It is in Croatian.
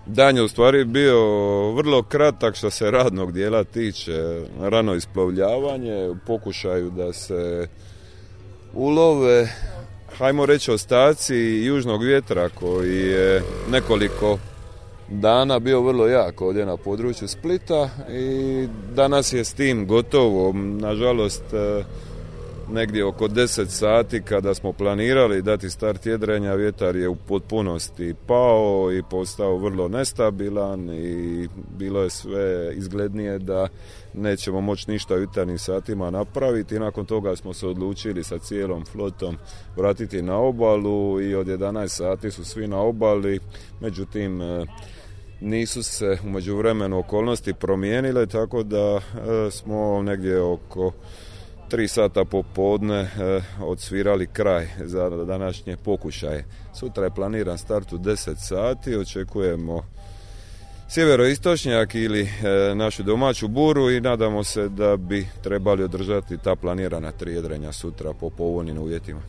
Dan je u stvari bio vrlo kratak što se radnog dijela tiče, rano isplovljavanje, u pokušaju da se ulove, hajmo reći, ostaci južnog vjetra koji je nekoliko dana bio vrlo jak ovdje na području Splita i danas je s tim gotovo. Nažalost, negdje oko 10 sati kada smo planirali dati start jedrenja, vjetar je u potpunosti pao i postao vrlo nestabilan i bilo je sve izglednije da nećemo moći ništa u jutarnjim satima napraviti. I nakon toga smo se odlučili sa cijelom flotom vratiti na obalu i od 11 sati su svi na obali, međutim nisu se u međuvremenu okolnosti promijenile, tako da smo negdje oko 3 sata popodne odsvirali kraj za današnje pokušaje. Sutra je planiran start u 10 sati, očekujemo sjeveroistočnjak ili našu domaću buru i nadamo se da bi trebali održati ta planirana 3 jedrenja sutra po povoljnim uvjetima.